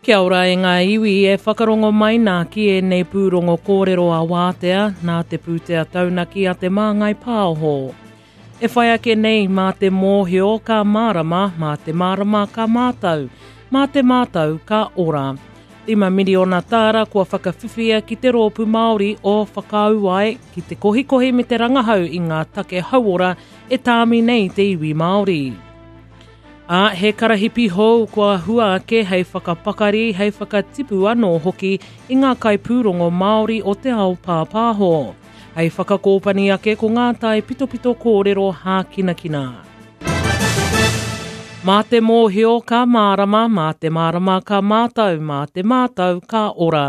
Kia ora e ngā iwi e whakarongo mai nā ki ēnei pūrongo kōrero a Wātea nā te pūtea taunaki a Te Māngai Pāho. E whai ake nei mā te mōhio ka mārama, mā te mārama ka mātau, mā te mātau ka ora. 5 miriona tāra kua whakawhiwhia ki te Rōpū Māori o Whakauae ki te kohikohi me te rangahau i ngā take hauora e tāmi nei te iwi Māori. Ā, he karahipi hou kua hua ake hei whakapakari, hei whakatipu anō hoki i ngā kaipūrongo Māori o te ao pāpāho. Hei whakakōpani ake ko ngā taipitopito kōrero hākinakina. Mā te mōhio ka mārama, mā te mārama ka mātau, mā te mātau ka ora.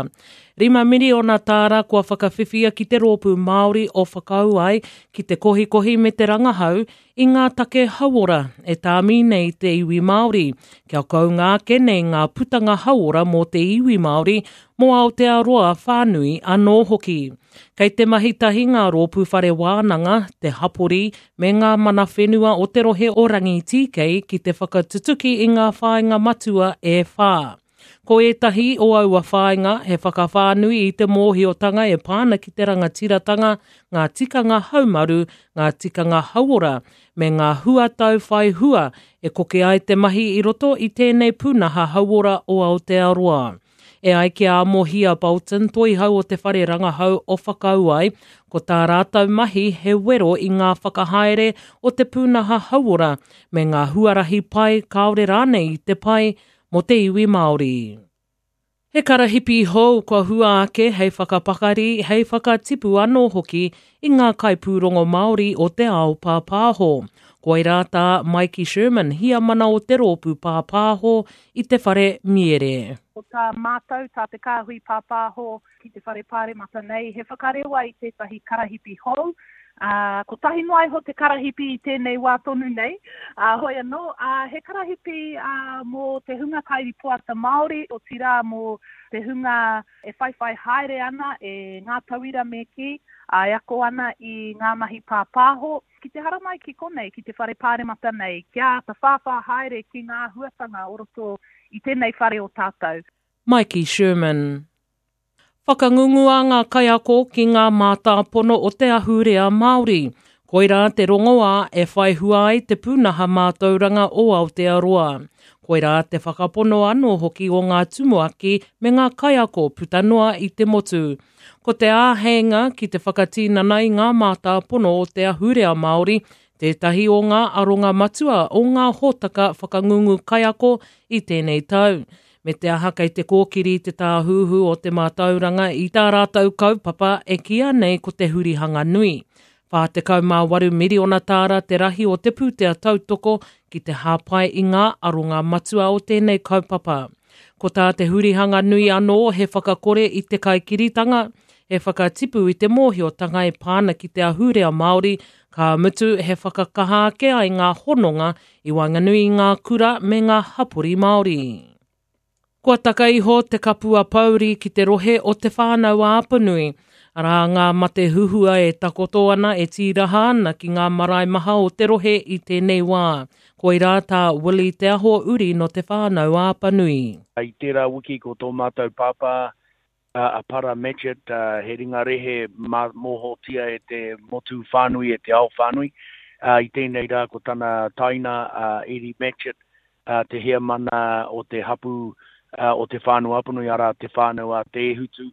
5 miriona tāra kua whakawhiwhia ki te Rōpū Māori o Whakauae ki te kohikohi me te rangahau i ngā take hauora e tāmi nei te iwi Māori, kia kounga ake nei ngā putanga hauora mō te iwi Māori, mō Aotearoa whānui anō hoki. Kei te mahi tahi ngā rōpū whare wānanga, te hapori, me ngā mana whenua o te rohe o Rangitīkei ki te whakatutuki i ngā whāinga matua e whā. Ko ētahi o aua whāinga he whakawhānui i te mōhiotanga e pā ana ki te rangatiratanga, ngā tikanga haumaru, ngā tikanga hauora, me ngā huatau whai hua e koke ai te mahi i roto i tēnei pūnaha hauora o Aotearoa. E ai ki a Amohia Bolton, toihau o te whare rangahau o Whakauae, ko tā rātou mahi he wero i ngā whakahaere o te pūnaha hauora me ngā huarahi pai kāore rānei i te pai mō te iwi Māori. He karahipi hou kua hua ake hei whakapakari, hei whakatipu anō hoki i ngā kaipūrongo Māori o te ao pāpāho. Koirā tā Maiki Sherman, Hiamana o te Rōpū Pāpāho i te Whare Miere. Ko tā mātou, tā te Kāhui Pāpāho ki te Whare Pāremata nei, he whakarewa i tētahi karahipi hou, ā, kotahi noa iho te karahipi i tēnei wā tonu nei, ā, hoi anō, ā, he karahipi, ā, mō te hunga kairipoata Māori, otirā mō te hunga e whaiwhai haere ana, e ngā tauira me kī, ā, e ako ana i ngā mahi pāpāho, ki te haramai ki konei, ki te Whare Pāremata nei, kia āta whāwhā haere ki ngā āhuatanga o roto i tēnei whare o tātou. Maiki Sherman. Whakangungua ngā kaiako ki ngā mātāpono o te ahurea Māori. Koirā te rongoā e whai hua ai te pūnaha mātauranga o Aotearoa. Koirā te whakapono anō hoki o ngā tumuaki me ngā kaiako puta noa i te motu. Ko te āheinga ki te whakatinana i ngā mātāpono o te ahurea Māori tētahi o ngā aronga matua o ngā hōtaka whakangungu kaiako i tēnei tau. Me te aha kei te kōkiri te Tāhuhu o te Mātauranga i tā rātou kaupapa e kīia nei ko te hurihanga nui. 48 miriona tāra te rahi o te pūtea tautoko ki te hāpai i ngā aronga matua o tēnei kaupapa. Ko tā te hurihanga nui anō he whakakore i te kaikiritanga, he whakatipu i te mōhiotanga e pā ana ki te ahurea Māori, ka mutu he whakakaha ake ai ngā hononga i waenganui i ngā kura me ngā hapori Māori. Kua taka iho te kapua pouri ki te rohe o Te Whānau-a-Apanui. Arā ngā mate huhua e takoto ana, e tīraha ana ki ngā marae maha o te rohe i tēnei wā. Koirā tā Willie Te Aho Uri nō Te Whānau-a-Apanui. I tērā wiki ko tō mātou pāpā a Para Matchitt, he ringa rehe mōhiotia e te motu whānui, e te ao whānui. I tēnei rā ko tana taina a Eddie Matchitt, te heamana o te hapū o Te Whānau-a-Apanui, arā, Te Whānau a Te Ēhutu.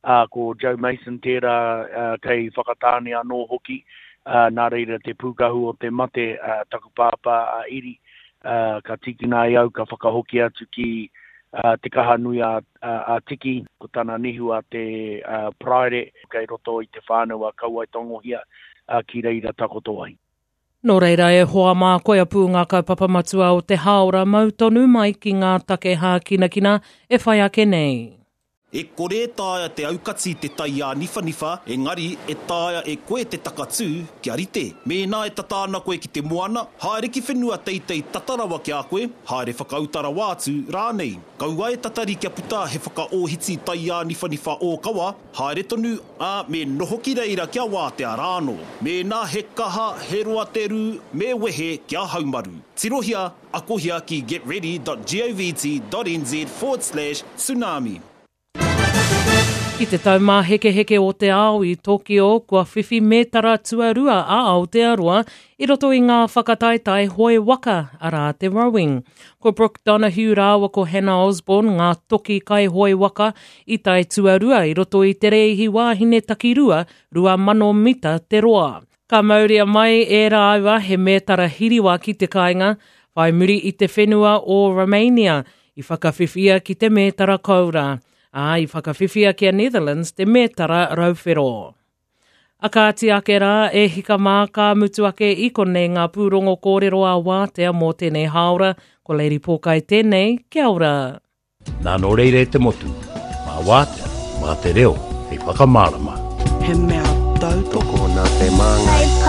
Ko Joe Mason tērā kei Whakatāne anō hoki, nā reira te pūkahu o te mate, taku pāpā a Eddie, ka tīkina e au ka whakahoki atu ki Te Kaha Nui a Tiki, ko tana nihu a Te Paraire, kei roto i te whānau a Kauaetangohia, ki reira takoto ai. Nō reira e hoa mā koia pū ngā kaupapa matua o te hāora mau tonu mai ki ngā take hākinakina e whai ake nei. E kore e taea te aukati te tai āniwhaniwha, engari e taea e koe te takatū kia rite. Mēnā e tata ana koe ki te moana, haere ki whenua teitei tata rawa ki a koe, haere whakauta rawa atu rānei. Kaua e tatari kia puta he whakaōhiti tai āniwhaniwha ōkawa, haere tonu, ā, me noho ki reira kia wātea rānō. Mēnā he kaha, he roa te rū, me wehe kia haumaru. Tirohia Akohia ki getready.govt.nz forward slash tsunami. Ki te Taumāhekeheke o te Ao i Tokio, kua whiwhi mētara tuarua a Aotearoa i roto i ngā whakataetae hoe waka, arā te rowing. Ko Brooke Donoghue rāua ko Hannah Osborne ngā toki kaihoe waka i tae tuarua i roto i te rēihi wāhine takirua 2,000 mita te roa. Ka mauria mai e rāua he mētara hiriwa ki te kāinga, whai muri i te whenua o Romania i whakawhiwhia ki te mētara koura, ā, i whakawhiwhia ki a Netherlands te mētara rauwhero. A kāti ake rā, e hika mā, ka mutu ake i konei ngā pūrongo kōrero a Wātea mō tēnei hāora, ko Lady Pōkai tēnei, kia ora! Nā nō reira e te motu, mā Wātea, mā te reo hei whakamārama. He mea tautoko. Tokona te māngai.